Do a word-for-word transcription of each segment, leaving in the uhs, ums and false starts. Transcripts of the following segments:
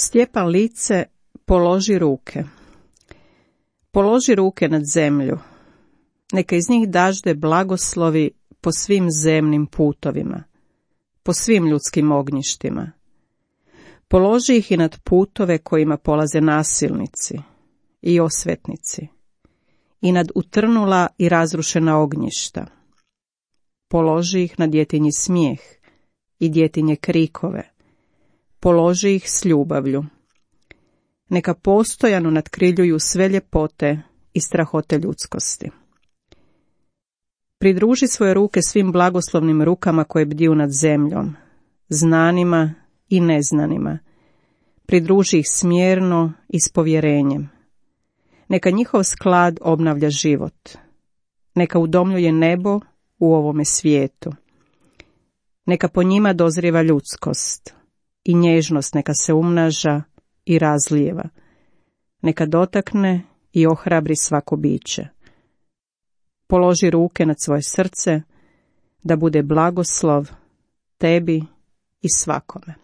Stjepan Lice, položi ruke. Položi ruke nad zemlju. Neka iz njih dažde blagoslovi po svim zemnim putovima, po svim ljudskim ognjištima. Položi ih i nad putove kojima polaze nasilnici i osvetnici, i nad utrnula i razrušena ognjišta. Položi ih na djetinji smijeh i djetinje krikove. Položi ih s ljubavlju. Neka postojano nadkriljuju sve ljepote i strahote ljudskosti. Pridruži svoje ruke svim blagoslovnim rukama koje bdiju nad zemljom, znanima i neznanima. Pridruži ih smjerno i s povjerenjem. Neka njihov sklad obnavlja život. Neka udomljuje nebo u ovome svijetu. Neka po njima dozrijeva ljudskost i nježnost neka se umnaža i razlijeva. Neka dotakne i ohrabri svako biće. Položi ruke nad svoje srce, da bude blagoslov tebi i svakome.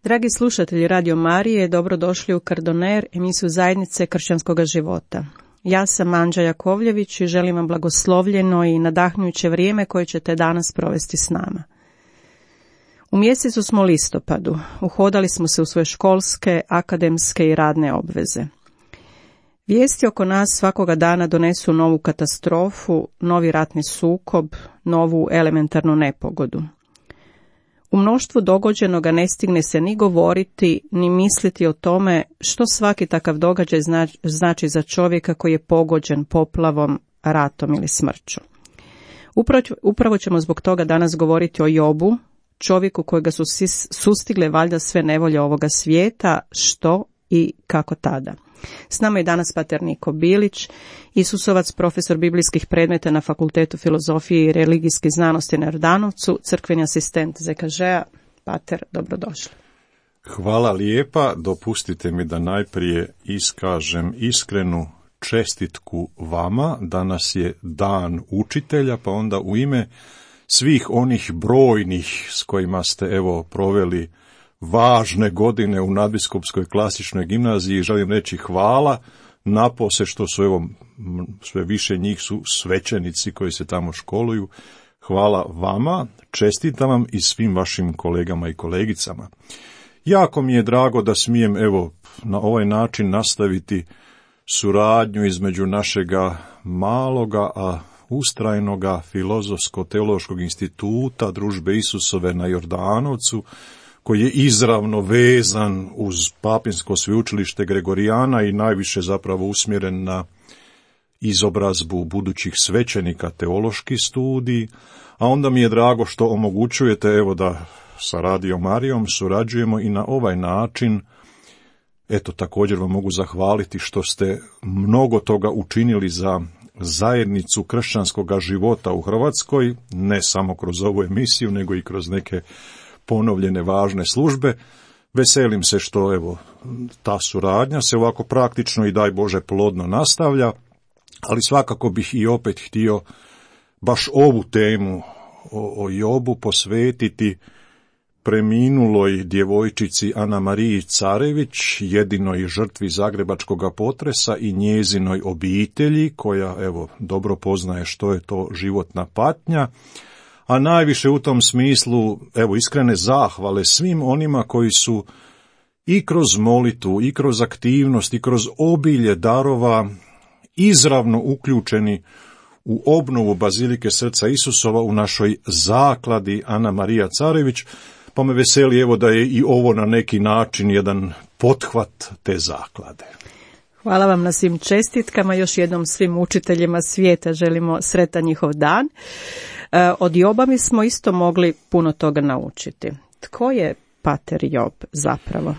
Dragi slušatelji Radio Marije, dobrodošli u Kardoner, emisiju Zajednice kršćanskog života. Ja sam Anđa Jakovljević i želim vam blagoslovljeno i nadahnjuće vrijeme koje ćete danas provesti s nama. U mjesecu smo listopadu, uhodali smo se u svoje školske, akademske i radne obveze. Vijesti oko nas svakoga dana donesu novu katastrofu, novi ratni sukob, novu elementarnu nepogodu. U mnoštvu dogođenoga ne stigne se ni govoriti, ni misliti o tome što svaki takav događaj znači za čovjeka koji je pogođen poplavom, ratom ili smrću. Upravo, upravo ćemo zbog toga danas govoriti o Jobu, čovjeku kojega su sustigle valjda sve nevolje ovoga svijeta, što i kako tada. S nama je danas pater Niko Bilić, Isusovac, profesor biblijskih predmeta na Fakultetu filozofije i religijskih znanosti na Jordanovcu, crkveni asistent Z K Ž-a. Pater, dobrodošli. Hvala lijepa, dopustite mi da najprije iskažem iskrenu čestitku vama. Danas je dan učitelja, pa onda u ime svih onih brojnih s kojima ste evo proveli važne godine u Nadbiskupskoj klasičnoj gimnaziji, želim reći hvala, napose što su evo sve više njih su svećenici koji se tamo školuju. Hvala vama, čestitam vam i svim vašim kolegama i kolegicama. Jako mi je drago da smijem evo na ovaj način nastaviti suradnju između našega maloga, a ustrajnoga filozofsko-teološkog instituta Družbe Isusove na Jordanovcu, koji je izravno vezan uz Papinsko sveučilište Gregorijana i najviše zapravo usmjeren na izobrazbu budućih svećenika, teološki studij, a onda mi je drago što omogućujete evo da sa Radio Marijom surađujemo i na ovaj način. Eto, također vam mogu zahvaliti što ste mnogo toga učinili za zajednicu kršćanskog života u Hrvatskoj, ne samo kroz ovu emisiju, nego i kroz neke ponovljene važne službe. Veselim se što evo ta suradnja se ovako praktično i daj Bože plodno nastavlja, ali svakako bih i opet htio baš ovu temu o, o Jobu posvetiti preminuloj djevojčici Ana Mariji Carević, jedinoj žrtvi zagrebačkog potresa i njezinoj obitelji, koja evo dobro poznaje što je to životna patnja, a najviše u tom smislu evo iskrene zahvale svim onima koji su i kroz molitvu, i kroz aktivnost, i kroz obilje darova izravno uključeni u obnovu Bazilike Srca Isusova u našoj zakladi Ana Marija Carević, pa me veseli evo da je i ovo na neki način jedan pothvat te zaklade. Hvala vam na svim čestitkama, još jednom svim učiteljima svijeta želimo sretan njihov dan. Od Joba mi smo isto mogli puno toga naučiti. Tko je pater Job zapravo?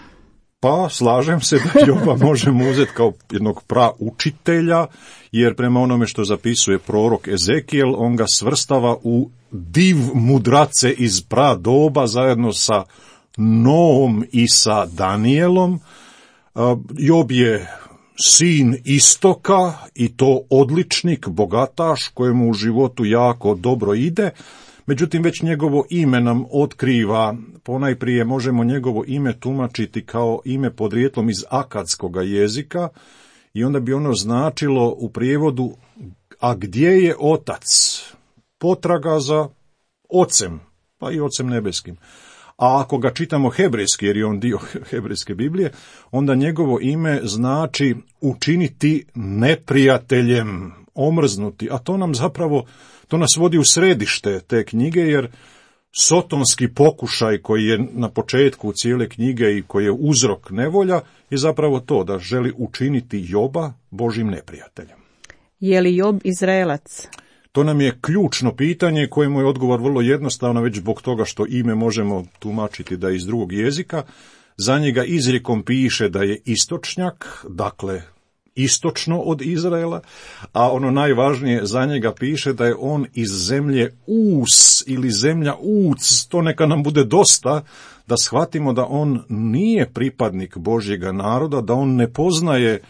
Pa slažem se da Joba možemo uzeti kao jednog praučitelja, jer prema onome što zapisuje prorok Ezekijel, on ga svrstava u div mudrace iz pradoba zajedno sa Noom i sa Danijelom. Job je sin istoka i to odličnik, bogataš, kojemu u životu jako dobro ide. Međutim, već njegovo ime nam otkriva, ponajprije možemo njegovo ime tumačiti kao ime podrijetlom iz akadskog jezika i onda bi ono značilo u prijevodu a gdje je otac? Potraga za ocem, pa i ocem nebeskim. A ako ga čitamo hebrejski, jer je on dio hebrejske Biblije, onda njegovo ime znači učiniti neprijateljem, omrznuti, a to nam zapravo To nas vodi u središte te knjige, jer sotonski pokušaj koji je na početku cijele knjige i koji je uzrok nevolja je zapravo to da želi učiniti Joba Božjim neprijateljem. Je li Job Izraelac? To nam je ključno pitanje kojemu je odgovor vrlo jednostavno, već zbog toga što ime možemo tumačiti da je iz drugog jezika. Za njega izrijekom piše da je istočnjak, dakle istočno od Izraela, a ono najvažnije za njega piše da je on iz zemlje Us ili zemlja Uc. To neka nam bude dosta da shvatimo da on nije pripadnik Božjega naroda, da on ne poznaje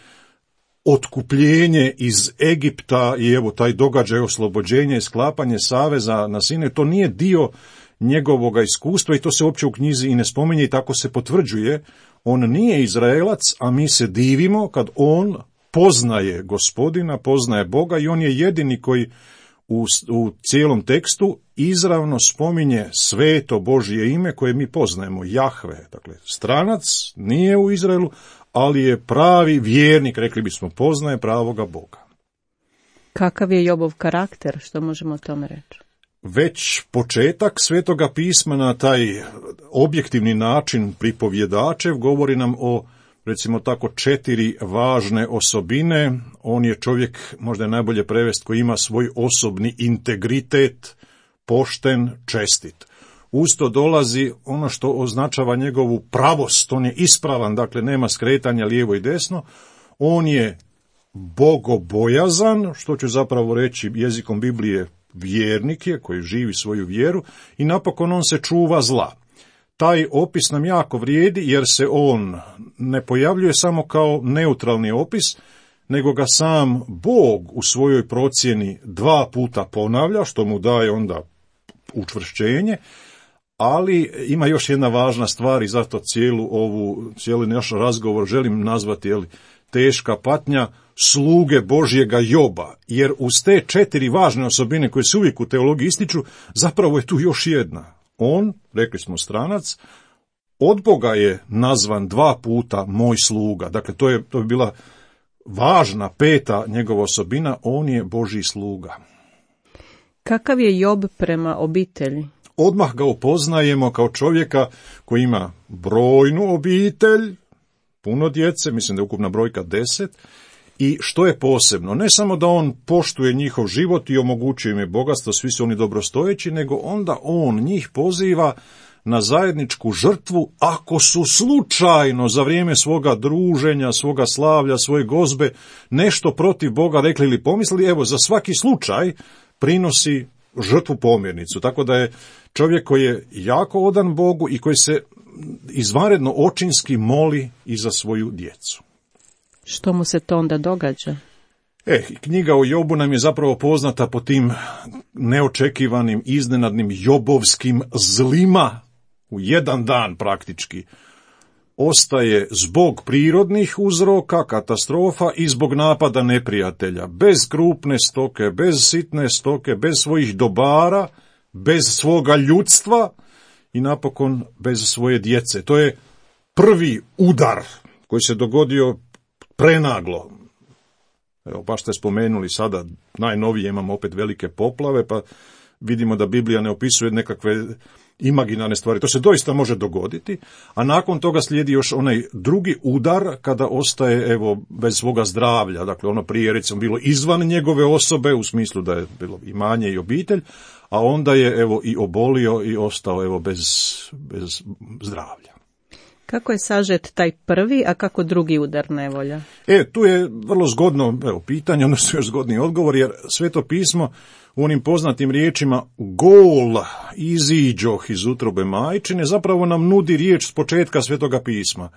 otkupljenje iz Egipta i evo taj događaj oslobođenja i sklapanje saveza na Sinaju, to nije dio njegovoga iskustva i to se uopće u knjizi i ne spominje i tako se potvrđuje. On nije Izraelac, a mi se divimo kad on poznaje Gospodina, poznaje Boga i on je jedini koji u, u cijelom tekstu izravno spominje sveto Božje ime koje mi poznajemo, Jahve. Dakle, stranac nije u Izraelu, ali je pravi vjernik, rekli bismo, poznaje pravoga Boga. Kakav je Jobov karakter, što možemo o tome reći? Već početak Svetoga pisma na taj objektivni način pripovjedačev govori nam o, recimo tako, četiri važne osobine. On je čovjek, možda je najbolje prevest, koji ima svoj osobni integritet, pošten, čestit. usto dolazi ono što označava njegovu pravost, on je ispravan, dakle nema skretanja lijevo i desno, on je bogobojazan, što će zapravo reći jezikom Biblije vjernik je, koji živi svoju vjeru, i napokon on se čuva zla. Taj opis nam jako vrijedi jer se on ne pojavljuje samo kao neutralni opis, nego ga sam Bog u svojoj procjeni dva puta ponavlja, što mu daje onda učvršćenje, ali ima još jedna važna stvar i zato cijelu ovu, cijeli naš razgovor želim nazvati, jel, teška patnja sluge Božjega Joba, jer uz te četiri važne osobine koje se uvijek u teologiji ističu, zapravo je tu još jedna. On, rekli smo stranac, od Boga je nazvan dva puta moj sluga, dakle to je, to je bila važna peta njegova osobina, on je Božji sluga. Kakav je Job prema obitelji? Odmah ga upoznajemo kao čovjeka koji ima brojnu obitelj, puno djece, mislim da je ukupna brojka deset, i što je posebno, ne samo da on poštuje njihov život i omogućuje im je bogatstvo, svi su oni dobrostojeći, nego onda on njih poziva na zajedničku žrtvu ako su slučajno za vrijeme svoga druženja, svoga slavlja, svoje gozbe nešto protiv Boga rekli ili pomislili, evo za svaki slučaj prinosi žrtvu pomirnicu. Tako da je čovjek koji je jako odan Bogu i koji se izvanredno očinski moli i za svoju djecu. Što mu se to onda događa? E, knjiga o Jobu nam je zapravo poznata po tim neočekivanim, iznenadnim jobovskim zlima. U jedan dan praktički ostaje zbog prirodnih uzroka, katastrofa i zbog napada neprijatelja. Bez krupne stoke, bez sitne stoke, bez svojih dobara, bez svoga ljudstva i napokon bez svoje djece. To je prvi udar koji se dogodio prenaglo. Evo, baš ste spomenuli sada, najnovije imamo opet velike poplave, pa vidimo da Biblija ne opisuje nekakve imaginarne stvari. To se doista može dogoditi, a nakon toga slijedi još onaj drugi udar kada ostaje evo bez svoga zdravlja. Dakle, ono prije recimo bilo izvan njegove osobe, u smislu da je bilo imanje i obitelj, a onda je evo i obolio i ostao evo bez, bez zdravlja. Kako je sažet taj prvi, a kako drugi udar nevolja? E, tu je vrlo zgodno evo, pitanje, odnosno još zgodni odgovor, jer Sveto pismo u onim poznatim riječima gol iziđoh iz utrobe majčine zapravo nam nudi riječ s početka Svetoga pisma.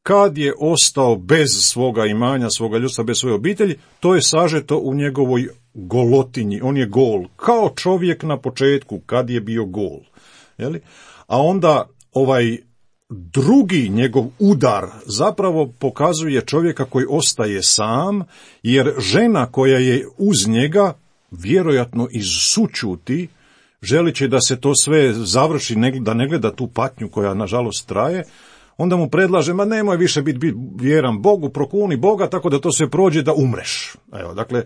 Kad je ostao bez svoga imanja, svoga ljudstva, bez svoje obitelji, to je sažeto u njegovoj golotinji. On je gol, kao čovjek na početku, kad je bio gol. Jeli? A onda ovaj drugi njegov udar zapravo pokazuje čovjeka koji ostaje sam, jer žena koja je uz njega, vjerojatno iz sućuti, želići da se to sve završi, da ne gleda tu patnju koja nažalost traje, onda mu predlaže, ma nemoj više biti bit vjeran Bogu, prokuni Boga, tako da to sve prođe da umreš. Evo, dakle,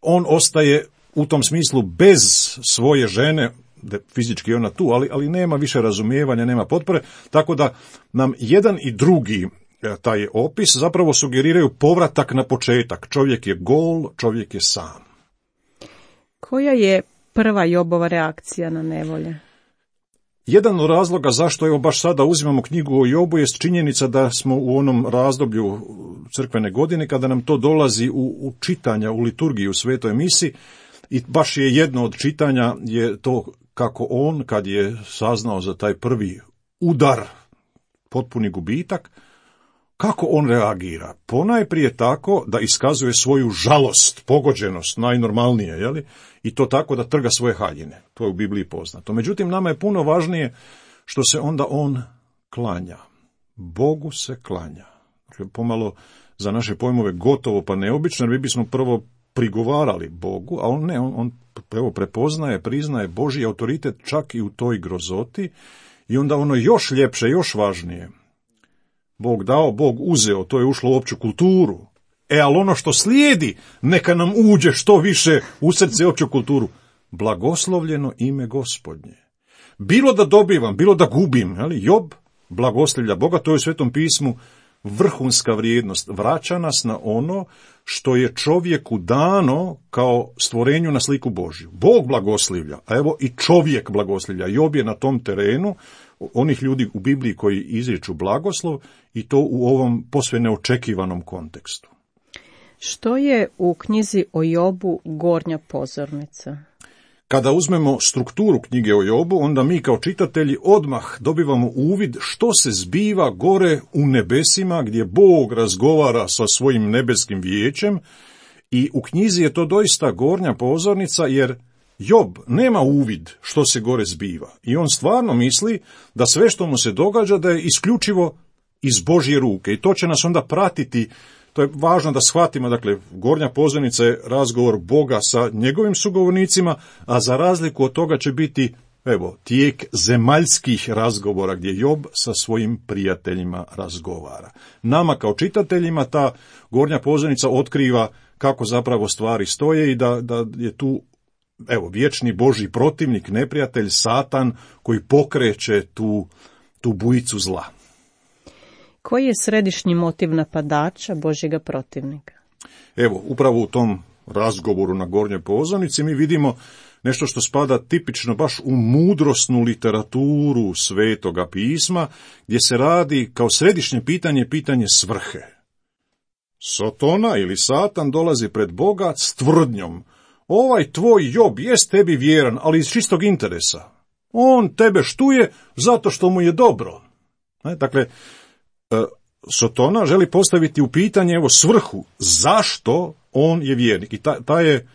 on ostaje u tom smislu bez svoje žene, fizički ona tu, ali, ali nema više razumijevanja, nema potpore, tako da nam jedan i drugi taj opis zapravo sugeriraju povratak na početak. Čovjek je gol, čovjek je sam. Koja je prva Jobova reakcija na nevolje? Jedan od razloga zašto evo baš sada uzimamo knjigu o Jobu jest činjenica da smo u onom razdoblju crkvene godine kada nam to dolazi u, u čitanja, u liturgiji, u svetoj misi, i baš je jedno od čitanja je to kako on, kad je saznao za taj prvi udar, potpuni gubitak, kako on reagira? Ponajprije tako da iskazuje svoju žalost, pogođenost, najnormalnije, jeli? I to tako da trga svoje haljine. To je u Bibliji poznato. Međutim, nama je puno važnije što se onda on klanja. Bogu se klanja. Dakle, pomalo za naše pojmove gotovo pa neobično, jer mi bismo prvo prigovarali Bogu, a on ne, on, on evo, prepoznaje, priznaje Božji autoritet čak i u toj grozoti, i onda ono još ljepše, još važnije. Bog dao, Bog uzeo, to je ušlo u opću kulturu. E, ali ono što slijedi, neka nam uđe što više u srce opću kulturu. Blagoslovljeno ime Gospodnje. Bilo da dobivam, bilo da gubim, ali Job blagoslivlja Boga, to je u Svetom pismu vrhunska vrijednost. Vraća nas na ono što je čovjeku dano kao stvorenju na sliku Božju. Bog blagoslivlja, a evo i čovjek blagoslivlja. Job je na tom terenu onih ljudi u Bibliji koji izriču blagoslov i to u ovom posve neočekivanom kontekstu. Što je u knjizi o Jobu gornja pozornica? Kada uzmemo strukturu knjige o Jobu, onda mi kao čitatelji odmah dobivamo uvid što se zbiva gore u nebesima gdje Bog razgovara sa svojim nebeskim vijećem i u knjizi je to doista gornja pozornica jer Job nema uvid što se gore zbiva i on stvarno misli da sve što mu se događa da je isključivo iz Božje ruke i to će nas onda pratiti. To je važno da shvatimo, dakle, gornja pozornica je razgovor Boga sa njegovim sugovornicima, a za razliku od toga će biti, evo, tijek zemaljskih razgovora gdje Job sa svojim prijateljima razgovara. Nama kao čitateljima ta gornja pozornica otkriva kako zapravo stvari stoje i da, da je tu, evo, vječni Božji protivnik, neprijatelj, Satan, koji pokreće tu, tu bujicu zla. Koji je središnji motiv napadača Božjega protivnika? Evo, upravo u tom razgovoru na gornjoj pozornici mi vidimo nešto što spada tipično baš u mudrosnu literaturu Svetoga pisma, gdje se radi kao središnje pitanje pitanje svrhe. Sotona ili Satan dolazi pred Boga s tvrdnjom: ovaj tvoj Job jest tebi vjeran, ali iz čistog interesa. On tebe štuje zato što mu je dobro. Ne? Dakle, Sotona želi postaviti u pitanje evo svrhu, zašto on je vjernik. I ta, ta je,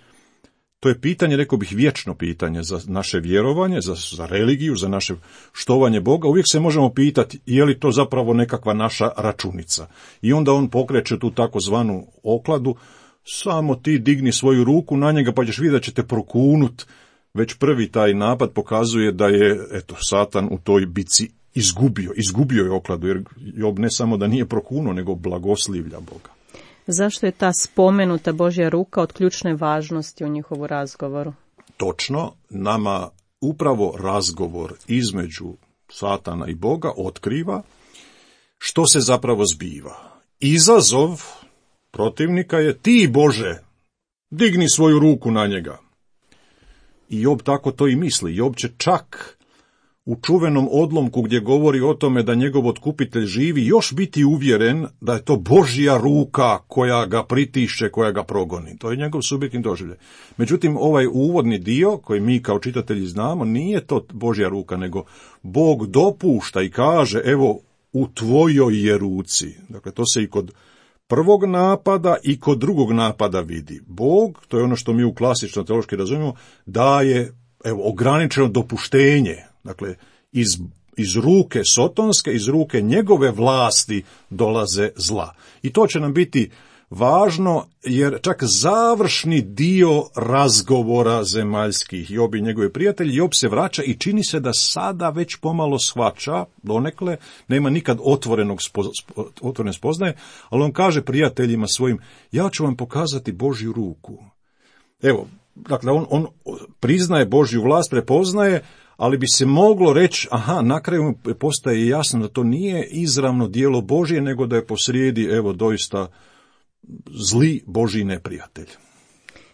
to je pitanje, rekao bih, vječno pitanje za naše vjerovanje, za, za religiju, za naše štovanje Boga. Uvijek se možemo pitati je li to zapravo nekakva naša računica. I onda on pokreće tu takozvanu okladu: samo ti digni svoju ruku na njega pa ćeš vidjeti da će te prokunut. Već prvi taj napad pokazuje da je, eto, Satan u toj bici izgubio, izgubio je okladu, jer Job ne samo da nije prokunuo, nego blagoslivlja Boga. Zašto je ta spomenuta Božja ruka od ključne važnosti u njihovu razgovoru? Točno, nama upravo razgovor između Satana i Boga otkriva što se zapravo zbiva. Izazov protivnika je: ti, Bože, digni svoju ruku na njega. I Job tako to i misli. Job će čak u čuvenom odlomku gdje govori o tome da njegov otkupitelj živi još biti uvjeren da je to Božja ruka koja ga pritišće, koja ga progoni. To je njegov subjektivni doživljaj. Međutim, ovaj uvodni dio koji mi kao čitatelji znamo nije to Božja ruka, nego Bog dopušta i kaže: evo, u tvojoj je ruci. Dakle, to se i kod prvog napada i kod drugog napada vidi. Bog, to je ono što mi u klasično teološki razumijemo, daje, evo, ograničeno dopuštenje. Dakle, iz, iz ruke sotonske, iz ruke njegove vlasti dolaze zla. I to će nam biti važno, jer čak završni dio razgovora zemaljskih Job i njegovi prijatelji, Job se vraća i čini se da sada već pomalo shvaća, donekle, nema nikad otvorenog spo, otvorene spoznaje, ali on kaže prijateljima svojim: ja ću vam pokazati Božju ruku. Evo, dakle, on, on priznaje Božju vlast, prepoznaje, ali bi se moglo reći, aha, na kraju postaje jasno da to nije izravno djelo Božje, nego da je posrijedi, evo, doista zli Božji neprijatelj.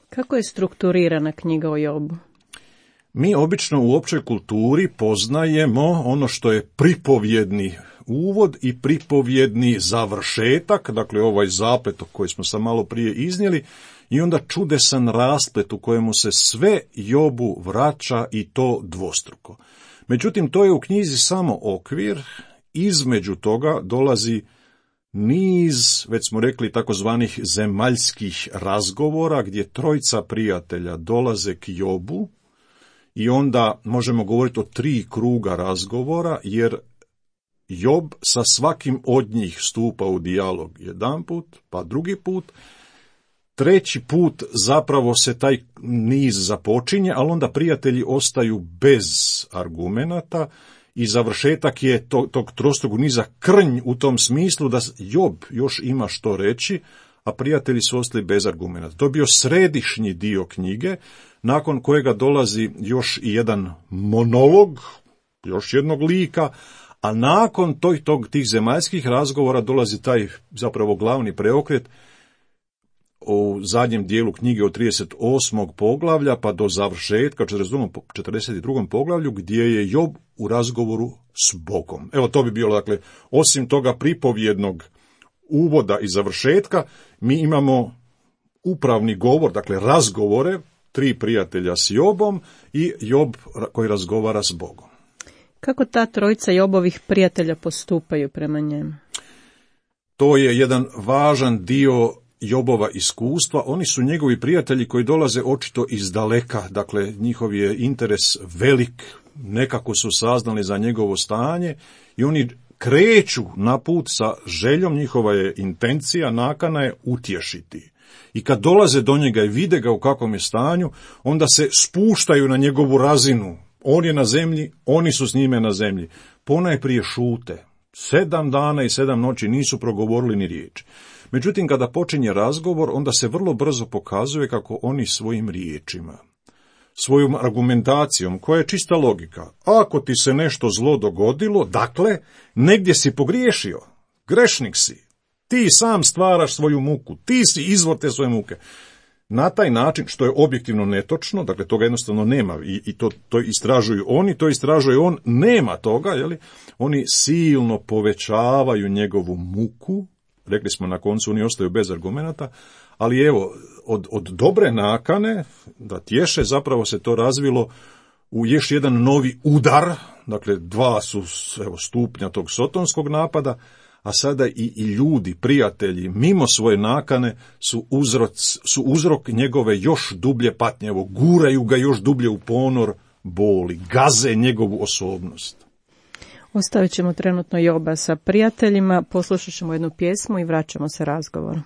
Kako je strukturirana knjiga o Jobu? Mi obično u općoj kulturi poznajemo ono što je pripovjedni uvod i pripovjedni završetak, dakle ovaj zaplet koji smo sam malo prije iznijeli, i onda čudesan rasplet u kojemu se sve Jobu vraća i to dvostruko. Međutim, to je u knjizi samo okvir, između toga dolazi niz, već smo rekli, takozvanih zemaljskih razgovora, gdje trojica prijatelja dolaze k Jobu i onda možemo govoriti o tri kruga razgovora, jer Job sa svakim od njih stupa u dijalog jedan put, pa drugi put, treći put zapravo se taj niz započinje, ali onda prijatelji ostaju bez argumenata i završetak je tog, tog trostrukog niza krnj u tom smislu da Job još ima što reći, a prijatelji su ostali bez argumenata. To je bio središnji dio knjige, nakon kojega dolazi još i jedan monolog, još jednog lika, a nakon tog, tog, tih zemaljskih razgovora dolazi taj zapravo glavni preokret u zadnjem dijelu knjige od trideset osmog poglavlja pa do završetka četrdeset drugom poglavlju gdje je Job u razgovoru s Bogom. Evo to bi bilo, dakle, osim toga pripovjednog uvoda i završetka, mi imamo upravni govor, dakle razgovore, tri prijatelja s Jobom i Job koji razgovara s Bogom. Kako ta trojica Jobovih prijatelja postupaju prema njemu? To je jedan važan dio Jobova iskustva. Oni su njegovi prijatelji koji dolaze očito iz daleka, dakle njihov je interes velik, nekako su saznali za njegovo stanje i oni kreću na put sa željom, njihova je intencija, nakana je utješiti. I kad dolaze do njega i vide ga u kakvom je stanju, onda se spuštaju na njegovu razinu. On je na zemlji, oni su s njime na zemlji. Ponajprije šute. Sedam dana i sedam noći nisu progovorili ni riječi. Međutim, kada počinje razgovor, onda se vrlo brzo pokazuje kako oni svojim riječima, svojom argumentacijom, koja je čista logika, ako ti se nešto zlo dogodilo, dakle, negdje si pogriješio, grešnik si, ti sam stvaraš svoju muku, ti si izvor te svoje muke. Na taj način, što je objektivno netočno, dakle toga jednostavno nema i, i to, to istražuju oni, to istražuje on, nema toga, jeli? Oni silno povećavaju njegovu muku, rekli smo na koncu oni ostaju bez argumenata, ali evo, od, od dobre nakane da tješe zapravo se to razvilo u još jedan novi udar, dakle dva su evo, stupnja tog sotonskog napada, a sada i, i ljudi, prijatelji, mimo svoje nakane su, uzrok, su uzrok njegove još dublje patnje, evo, guraju ga još dublje u ponor boli, gaze njegovu osobnost. Ostavit ćemo trenutno Joba sa prijateljima, poslušat ćemo jednu pjesmu i vraćamo se razgovoru.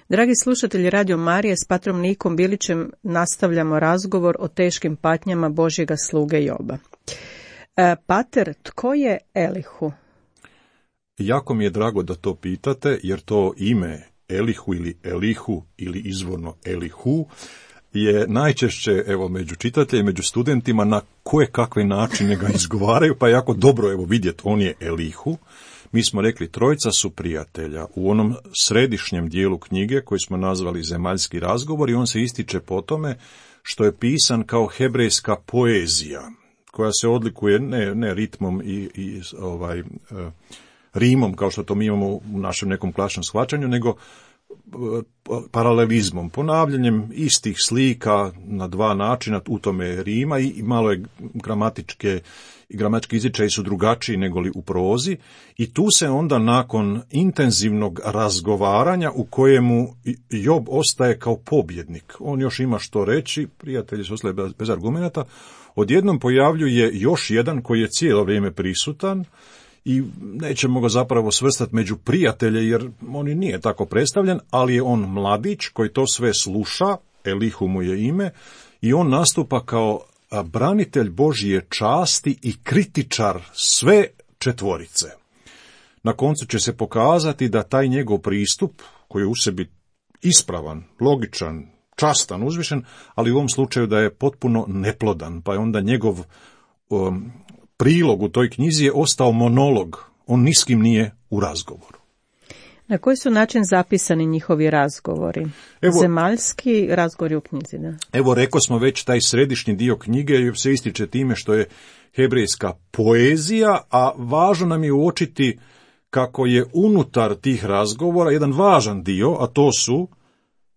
Dragi slušatelji Radio Marije, s patrom Nikom Bilićem nastavljamo razgovor o teškim patnjama Božjega sluge Joba. E, pater, tko je Elihu? Jako mi je drago da to pitate, jer to ime Elihu ili Elihu ili izvorno Elihu, je najčešće, evo, među čitateljima, među studentima na koje kakve načine ga izgovaraju, pa je jako dobro, evo, vidjeti, on je Elihu. Mi smo rekli, trojica su prijatelja. U onom središnjem dijelu knjige, koji smo nazvali Zemaljski razgovor, i on se ističe po tome što je pisan kao hebrejska poezija, koja se odlikuje ne, ne ritmom i, i ovaj, rimom, kao što to mi imamo u našem nekom klasičnom shvaćanju, nego paralelizmom, ponavljanjem istih slika na dva načina, u tome je rima, i malo je gramatičke i gramatički izričaji su drugačiji nego li u prozi, i tu se onda nakon intenzivnog razgovaranja u kojemu Job ostaje kao pobjednik, on još ima što reći, prijatelji su ostali bez, bez argumenata, odjednom pojavljuje još jedan koji je cijelo vrijeme prisutan, i nećemo ga zapravo svrstati među prijatelje, jer on i nije tako predstavljen, ali je on mladić koji to sve sluša, Elihu mu je ime, i on nastupa kao branitelj Božje časti i kritičar sve četvorice. Na koncu će se pokazati da taj njegov pristup, koji je u sebi ispravan, logičan, častan, uzvišen, ali u ovom slučaju da je potpuno neplodan, pa je onda njegov um, prilog u toj knjizi je ostao monolog, on ni s kim nije u razgovoru. Na koji su način zapisani njihovi razgovori? Evo, Zemaljski razgovori u knjizi, da? Evo, rekao smo već, taj središnji dio knjige se ističe time što je hebrejska poezija, a važno nam je uočiti kako je unutar tih razgovora jedan važan dio, a to su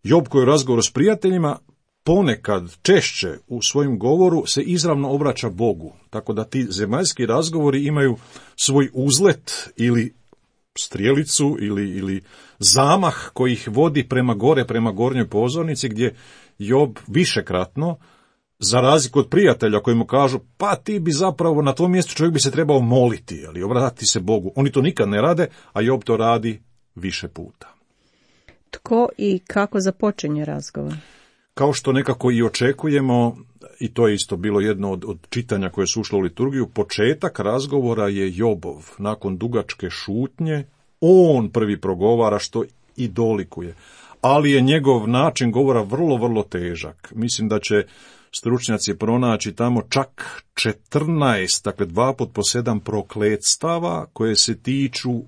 Job koji u razgovoru s prijateljima ponekad češće u svojem govoru se izravno obraća Bogu, tako da ti zemaljski razgovori imaju svoj uzlet ili strijelicu ili, ili zamah koji ih vodi prema gore, prema gornjoj pozornici, gdje Job višekratno, za razliku od prijatelja koji mu kažu, pa ti bi zapravo na tom mjestu čovjek bi se trebao moliti, ali obratiti se Bogu. Oni to nikad ne rade, a Job to radi više puta. Tko i kako započinje razgovor? Kao što nekako i očekujemo, i to je isto bilo jedno od, od čitanja koje su ušlo u liturgiju, početak razgovora je Jobov. Nakon dugačke šutnje, on prvi progovara, što i dolikuje. Ali je njegov način govora vrlo, vrlo težak. Mislim da će stručnjaci pronaći tamo čak četrnaest, dakle dva put po sedam prokletstava koje se tiču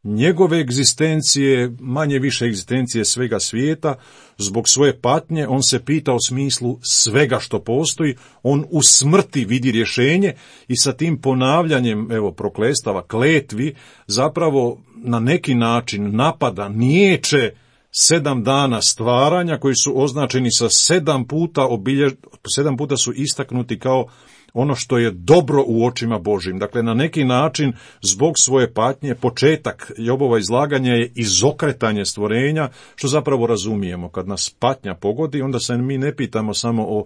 njegove egzistencije, manje više egzistencije svega svijeta. Zbog svoje patnje on se pita o smislu svega što postoji, on u smrti vidi rješenje i sa tim ponavljanjem, evo, prokletstava, kletvi, zapravo na neki način napada, niječe sedam dana stvaranja koji su označeni sa sedam puta obiljež... sedam puta su istaknuti kao ono što je dobro u očima Božjim. Dakle, na neki način, zbog svoje patnje, početak Jobova izlaganja je izokretanje stvorenja, što zapravo razumijemo. Kad nas patnja pogodi, onda se mi ne pitamo samo o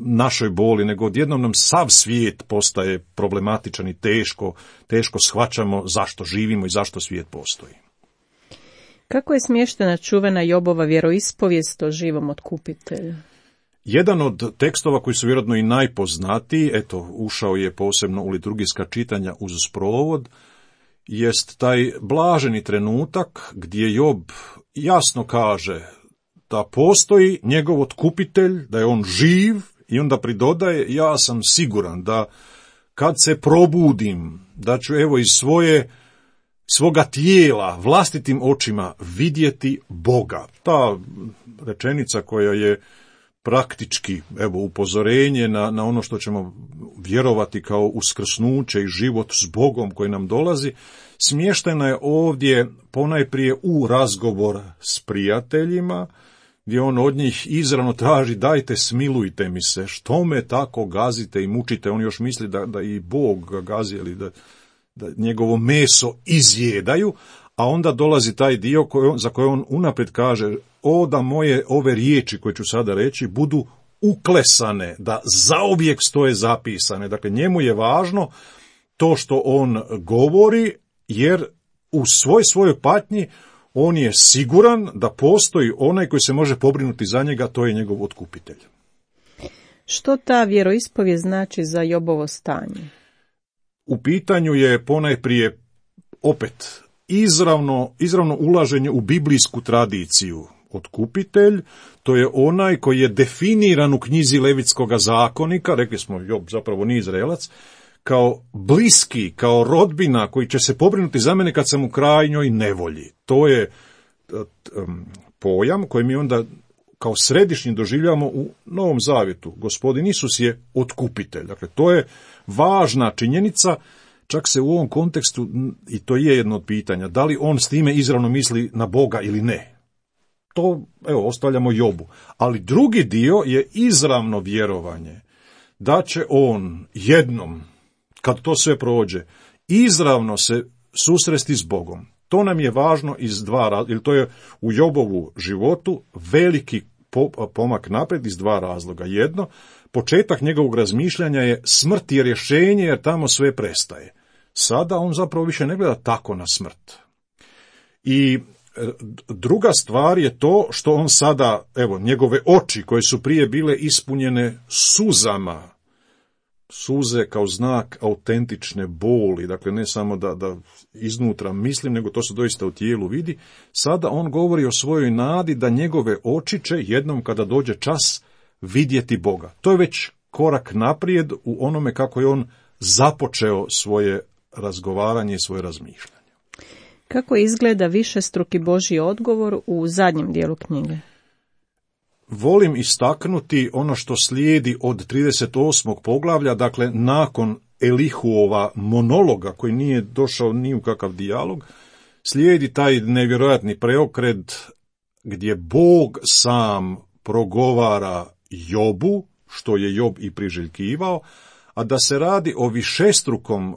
našoj boli, nego odjednom nam sav svijet postaje problematičan i teško, teško shvaćamo zašto živimo i zašto svijet postoji. Kako je smještena čuvena Jobova vjeroispovijest o živom otkupitelju? Jedan od tekstova koji su vjerojatno i najpoznatiji, eto, ušao je posebno u liturgijska čitanja uz sprovod, jest taj blaženi trenutak gdje Job jasno kaže da postoji njegov otkupitelj, da je on živ, i onda pridodaje, ja sam siguran da kad se probudim, da ću evo iz svoje svoga tijela vlastitim očima vidjeti Boga. Ta rečenica koja je praktički, evo, upozorenje na, na ono što ćemo vjerovati kao uskrsnuće i život s Bogom koji nam dolazi, smještena je ovdje ponajprije u razgovor s prijateljima, gdje on od njih izravno traži, dajte, smilujte mi se, što me tako gazite i mučite. On još misli da, da i Bog gazi, ili da, da njegovo meso izjedaju, a onda dolazi taj dio koji, za koje on unaprijed kaže, o da moje ove riječi koje ću sada reći budu uklesane, da zauvijek stoje zapisane. Dakle, njemu je važno to što on govori, jer u svoj svojoj patnji on je siguran da postoji onaj koji se može pobrinuti za njega, to je njegov otkupitelj. Što ta vjeroispovijest znači za Jobovo stanje? U pitanju je ponajprije opet izravno, izravno ulaženje u biblijsku tradiciju. Otkupitelj, to je onaj koji je definiran u knjizi Levitskoga zakonika, rekli smo Job zapravo nije Izraelac, kao bliski, kao rodbina koji će se pobrinuti za mene kad sam u krajnjoj nevolji. To je um, pojam koji mi onda kao središnji doživljamo u Novom Zavjetu. Gospodin Isus je otkupitelj. Dakle, to je važna činjenica, čak se u ovom kontekstu, i to je jedno od pitanja, da li on s time izravno misli na Boga ili ne. To, evo, ostavljamo Jobu. Ali drugi dio je izravno vjerovanje da će on jednom, kad to sve prođe, izravno se susresti s Bogom. To nam je važno iz dva razloga, jer to je u Jobovu životu veliki pomak naprijed iz dva razloga. Jedno, početak njegovog razmišljanja je smrt je rješenje, jer tamo sve prestaje. Sada on zapravo više ne gleda tako na smrt. I druga stvar je to što on sada, evo, njegove oči koje su prije bile ispunjene suzama, suze kao znak autentične boli, dakle ne samo da, da iznutra mislim, nego to se doista u tijelu vidi, sada on govori o svojoj nadi da njegove oči će jednom kada dođe čas vidjeti Boga. To je već korak naprijed u onome kako je on započeo svoje razgovaranje i svoje razmišljanje. Kako izgleda višestruki Božji odgovor u zadnjem dijelu knjige? Volim istaknuti ono što slijedi od trideset osmog poglavlja, dakle nakon Elihuova monologa koji nije došao ni u kakav dijalog, slijedi taj nevjerojatni preokret gdje Bog sam progovara Jobu, što je Job i priželjkivao, a da se radi o višestrukom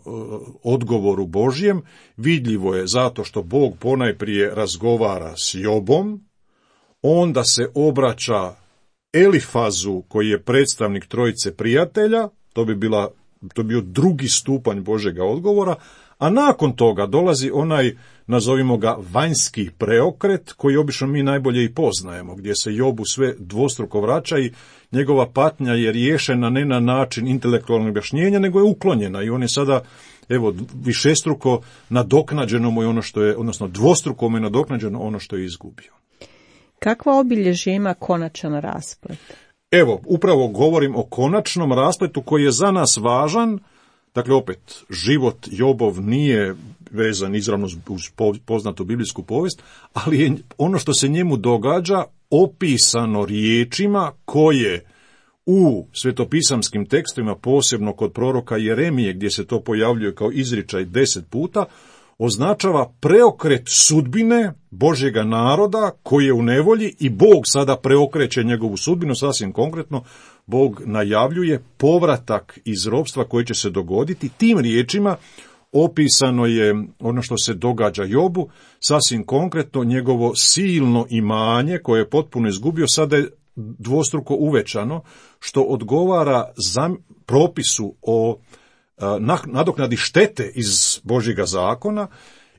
odgovoru Božjem, vidljivo je zato što Bog ponajprije razgovara s Jobom, onda se obraća Elifazu koji je predstavnik trojice prijatelja, to bi bila, to bi bio drugi stupanj Božjega odgovora, a nakon toga dolazi onaj, nazovimo ga, vanjski preokret koji obično mi najbolje i poznajemo, gdje se Jobu sve dvostruko vraća i njegova patnja je riješena ne na način intelektualnog objašnjenja, nego je uklonjena i on je sada, evo, višestruko nadoknađeno mu je ono što je, odnosno dvostruko mu je nadoknađeno ono što je izgubio. Kakva obilježje ima konačan rasplet? Evo, upravo govorim o konačnom raspletu koji je za nas važan. Dakle, opet, život Jobov nije vezan izravno uz poznatu biblijsku povijest, ali je ono što se njemu događa opisano riječima koje u svetopisamskim tekstovima, posebno kod proroka Jeremije, gdje se to pojavljuje kao izričaj deset puta, označava preokret sudbine Božjega naroda koji je u nevolji i Bog sada preokreće njegovu sudbinu, sasvim konkretno. Bog najavljuje povratak iz ropstva koji će se dogoditi. Tim riječima opisano je ono što se događa Jobu, sasvim konkretno njegovo silno imanje koje je potpuno izgubio, sada je dvostruko uvećano, što odgovara za propisu o nadoknadi štete iz Božjega zakona,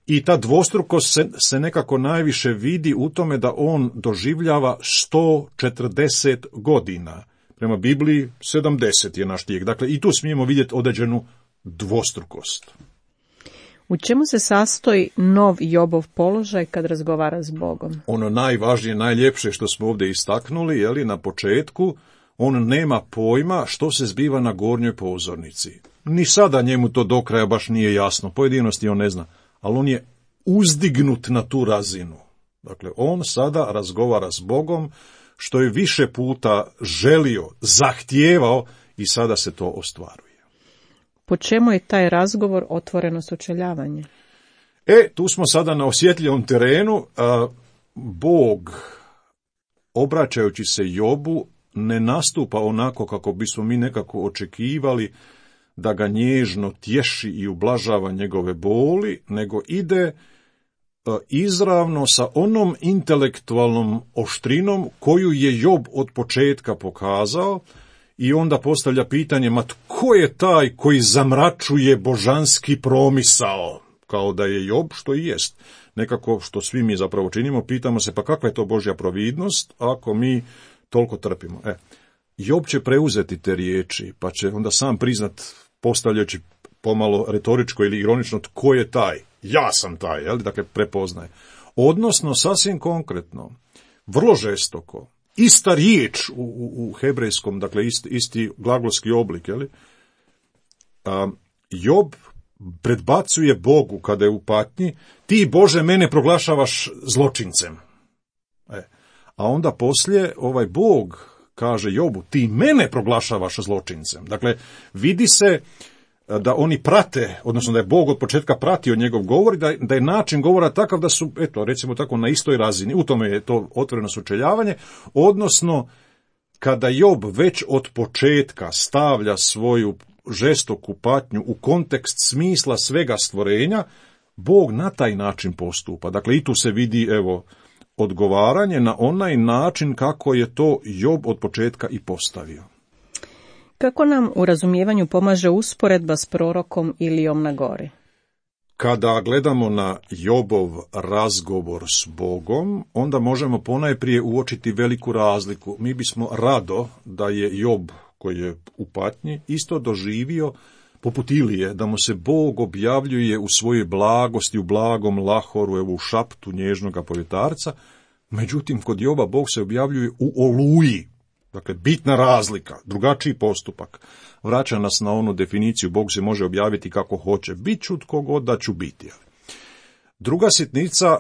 i ta dvostrukost se, se nekako najviše vidi u tome da on doživljava sto četrdeset godina. Prema Bibliji sedamdeset je naš tijek. Dakle, i tu smijemo vidjeti određenu dvostrukost. U čemu se sastoji nov Jobov položaj kad razgovara s Bogom? Ono najvažnije, najljepše što smo ovdje istaknuli, je li, na početku, on nema pojma što se zbiva na gornjoj pozornici. Ni sada njemu to do kraja baš nije jasno, pojedinosti on ne zna, ali on je uzdignut na tu razinu. Dakle, on sada razgovara s Bogom, što je više puta želio, zahtijevao i sada se to ostvaruje. Po čemu je taj razgovor otvoreno sučeljavanje? E, tu smo sada na osjetljivom terenu. A, Bog, obraćajući se Jobu, ne nastupa onako kako bismo mi nekako očekivali da ga nježno tješi i ublažava njegove boli, nego ide izravno sa onom intelektualnom oštrinom koju je Job od početka pokazao, i onda postavlja pitanje, ma tko je taj koji zamračuje božanski promisao? Kao da je Job, što i jest. Nekako, što svi mi zapravo činimo, pitamo se, pa kakva je to Božja providnost ako mi toliko trpimo? E, Job će preuzeti te riječi, pa će onda sam priznat, postavljajući pomalo retoričko ili ironično, tko je taj. ja sam taj, jel? Dakle, prepoznaje. Odnosno, sasvim konkretno, vrlo žestoko, ista riječ u, u, u hebrejskom, dakle, isti, isti glagolski oblik, jel? A, Job predbacuje Bogu kada je u patnji, ti Bože mene proglašavaš zločincem. E, a onda poslije ovaj Bog kaže Jobu, ti mene proglašavaš zločincem. Dakle, vidi se da oni prate, odnosno da je Bog od početka pratio njegov govor, da, da je način govora takav da su, eto, recimo tako, na istoj razini. U tome je to otvoreno sučeljavanje, odnosno kada Job već od početka stavlja svoju žestoku patnju u kontekst smisla svega stvorenja, Bog na taj način postupa. Dakle, i tu se vidi, evo, odgovaranje na onaj način kako je to Job od početka i postavio. Kako nam u razumijevanju pomaže usporedba s prorokom Ilijom na gori? Kada gledamo na Jobov razgovor s Bogom, onda možemo ponajprije uočiti veliku razliku. Mi bismo rado da je Job, koji je u patnji, isto doživio poput Ilije, da mu se Bog objavljuje u svojoj blagosti, u blagom lahoru, evo u šaptu nježnoga povjetarca. Međutim, kod Joba Bog se objavljuje u oluji. Dakle, bitna razlika, drugačiji postupak. Vraća nas na onu definiciju, Bog se može objaviti kako hoće. Bit ću tko god da ću biti. Druga sitnica,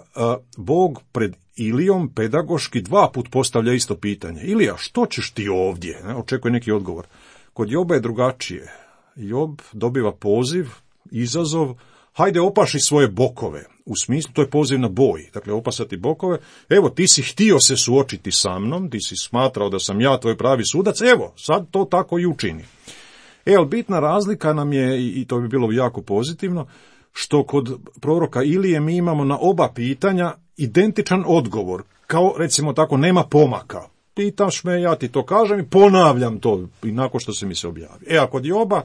Bog pred Ilijom pedagoški dva put postavlja isto pitanje. Ilija, što ćeš ti ovdje? Očekuje neki odgovor. Kod Joba je drugačije. Job dobiva poziv, izazov, hajde opaši svoje bokove. U smislu, to je poziv na boj. Dakle, opasati bokove. Evo, ti si htio se suočiti sa mnom, ti si smatrao da sam ja tvoj pravi sudac, evo, sad to tako i učini. E, ali bitna razlika nam je, i to bi bilo jako pozitivno, što kod proroka Ilije mi imamo na oba pitanja identičan odgovor. Kao, recimo tako, nema pomaka. Pitaš me, ja ti to kažem i ponavljam to, i nakon što se mi se objavi. E, a kod Joba,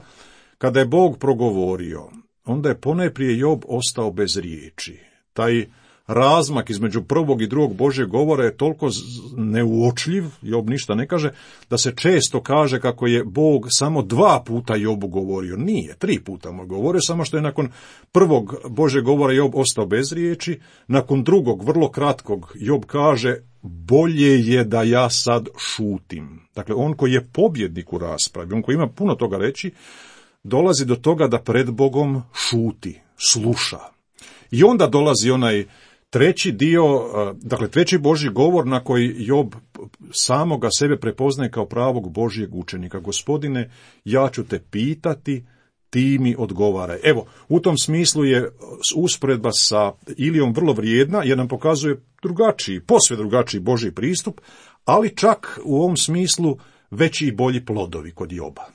kada je Bog progovorio, onda je ponajprije Job ostao bez riječi. Taj razmak između prvog i drugog Božjeg govora je toliko neuočljiv, Job ništa ne kaže, da se često kaže kako je Bog samo dva puta Jobu govorio. Nije, tri puta mu govorio, samo što je nakon prvog Božjeg govora Job ostao bez riječi, nakon drugog, vrlo kratkog, Job kaže, bolje je da ja sad šutim. Dakle, on koji je pobjednik u raspravi, on koji ima puno toga reći, dolazi do toga da pred Bogom šuti, sluša. I onda dolazi onaj treći dio, dakle treći Božji govor na koji Job samoga sebe prepoznaje kao pravog Božjeg učenika. Gospodine, ja ću te pitati, ti mi odgovaraj. Evo, u tom smislu je usporedba sa Ilijom vrlo vrijedna, jer nam pokazuje drugačiji, posve drugačiji Božji pristup, ali čak u ovom smislu veći i bolji plodovi kod Joba.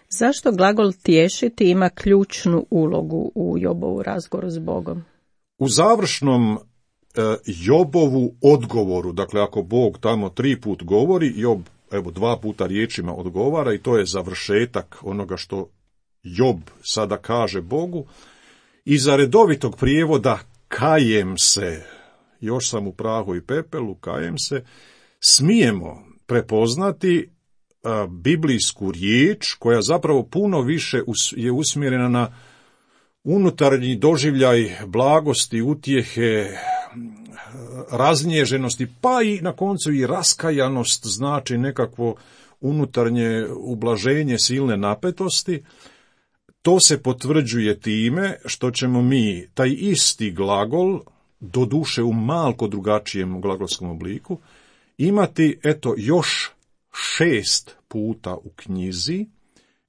Zašto glagol tješiti ima ključnu ulogu u Jobovu razgovoru s Bogom? U završnom e, Jobovu odgovoru, dakle ako Bog tamo tri put govori, Job evo dva puta riječima odgovara i to je završetak onoga što Job sada kaže Bogu. Iza redovitog prijevoda kajem se, još sam u prahu i pepelu, kajem se, smijemo prepoznati a, biblijsku riječ koja zapravo puno više us, je usmjerena na unutarnji doživljaj blagosti, utjehe, raznježenosti, pa i na koncu i raskajanost, znači nekakvo unutarnje ublaženje silne napetosti. To se potvrđuje time što ćemo mi taj isti glagol, doduše u malko drugačijem glagolskom obliku, imati eto još šest puta u knjizi,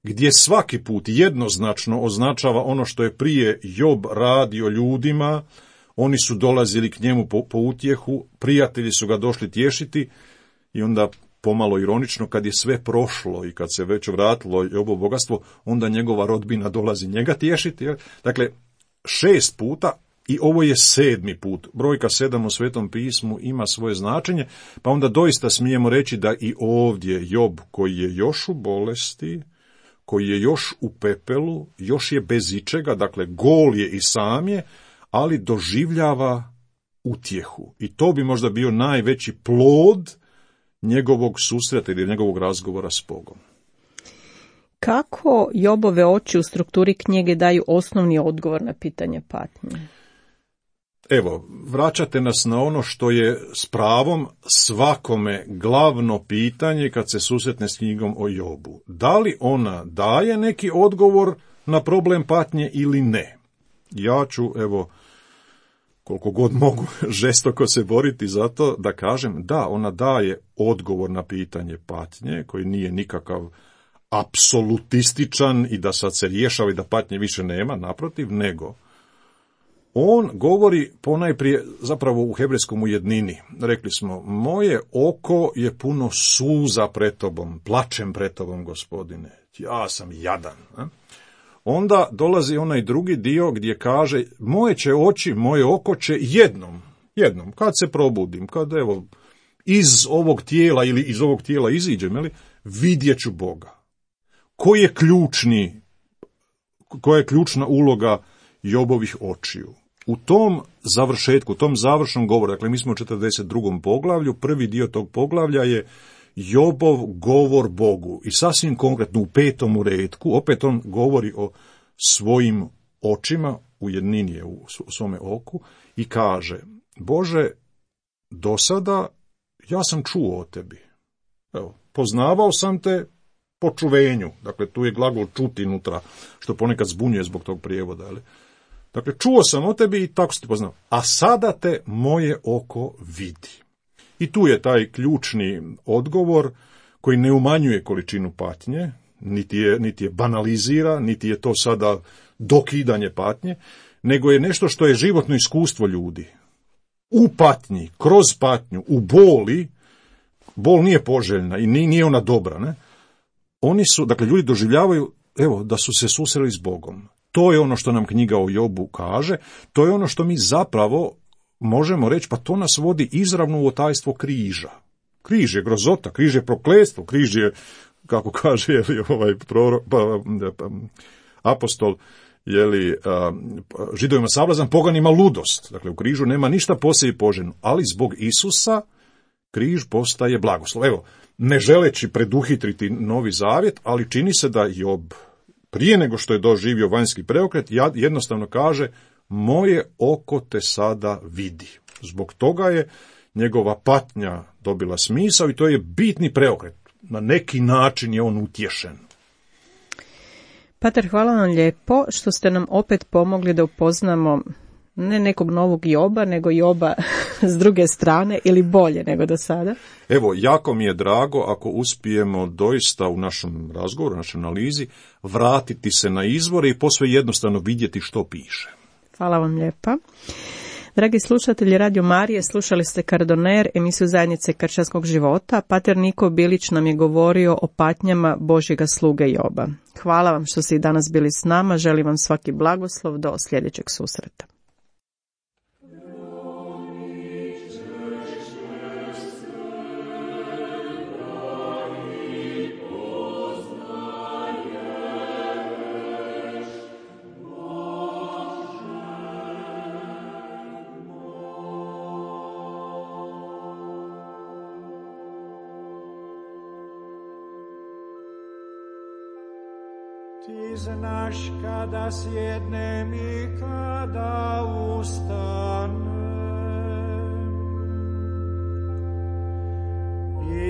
gdje svaki put jednoznačno označava ono što je prije Job radio ljudima. Oni su dolazili k njemu po, po utjehu, prijatelji su ga došli tješiti i onda pomalo ironično kad je sve prošlo i kad se već vratilo Jobovo bogatstvo, onda njegova rodbina dolazi njega tješiti. Dakle, šest puta i ovo je sedmi put. Brojka sedam u Svetom pismu ima svoje značenje, pa onda doista smijemo reći da i ovdje Job koji je još u bolesti, koji je još u pepelu, još je bez ičega, dakle gol je i sam je, ali doživljava utjehu. I to bi možda bio najveći plod njegovog susreta ili njegovog razgovora s Bogom. Kako Jobove oči u strukturi knjige daju osnovni odgovor na pitanje patnje? Evo, vraćate nas na ono što je s pravom svakome glavno pitanje kad se susretne s knjigom o Jobu. Da li ona daje neki odgovor na problem patnje ili ne? Ja ću, evo, koliko god mogu žestoko se boriti za to da kažem da, ona daje odgovor na pitanje patnje, koji nije nikakav apsolutističan i da sad se rješava i da patnje više nema, naprotiv, nego on govori ponajprije zapravo u hebrejskom u jednini. Rekli smo, moje oko je puno suza pred tobom, plačem pred tobom, Gospodine, ja sam jadan. A? Onda dolazi onaj drugi dio gdje kaže, moje će oči, moje oko će jednom, jednom, kad se probudim, kad evo iz ovog tijela ili iz ovog tijela iziđem, jeli, vidjet ću Boga. Koji je ključni, koja je ključna uloga Jobovih očiju? U tom završetku, u tom završnom govoru, dakle mi smo u četrdeset drugom poglavlju, prvi dio tog poglavlja je Jobov govor Bogu. I sasvim konkretno u petom retku, opet on govori o svojim očima, u jednini je u svome oku, i kaže, Bože, do sada ja sam čuo o tebi. Evo, poznavao sam te po čuvenju, dakle tu je glagol čuti unutra, što ponekad zbunjuje zbog tog prijevoda, ali dakle, čuo sam o tebi i tako se ti poznao. A sada te moje oko vidi. I tu je taj ključni odgovor koji ne umanjuje količinu patnje, niti je, niti je banalizira, niti je to sada dokidanje patnje, nego je nešto što je životno iskustvo ljudi. U patnji, kroz patnju, u boli, bol nije poželjna i nije ona dobra, ne? Oni su, dakle, ljudi doživljavaju, evo, da su se susreli s Bogom. To je ono što nam knjiga o Jobu kaže, to je ono što mi zapravo možemo reći, pa to nas vodi izravno u otajstvo križa. Križ je grozota, križ je prokletstvo, križ je, kako kaže je li, ovaj prorok, pa, pa, apostol, je li, a, Židovima sablazan, poganima ludost. Dakle, u križu nema ništa posebno poželjno, ali zbog Isusa križ postaje blagoslov. Evo, ne želeći preduhitriti Novi Zavjet, ali čini se da Job, prije nego što je doživio vanjski preokret, jednostavno kaže, moje oko te sada vidi. Zbog toga je njegova patnja dobila smisao i to je bitni preokret. Na neki način je on utješen. Pater, hvala vam lijepo što ste nam opet pomogli da upoznamo ne nekog novog Joba, nego Joba s druge strane ili bolje nego do sada. Evo, jako mi je drago ako uspijemo doista u našem razgovoru, u našoj analizi, vratiti se na izvore i posve jednostavno vidjeti što piše. Hvala vam lijepa. Dragi slušatelji Radio Marije, slušali ste Kardoner, emisiju Zajednice kršćanskog života. Pater Niko Bilić nam je govorio o patnjama Božjega sluge Joba. Hvala vam što ste i danas bili s nama, želim vam svaki blagoslov do sljedećeg susreta. Ti znaš kada sjednem i kada ustanem,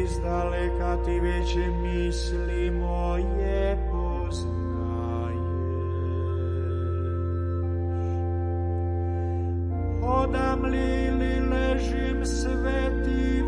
izdaleka ti već misli moje poznaješ. Hodam li ili ležim, sve ti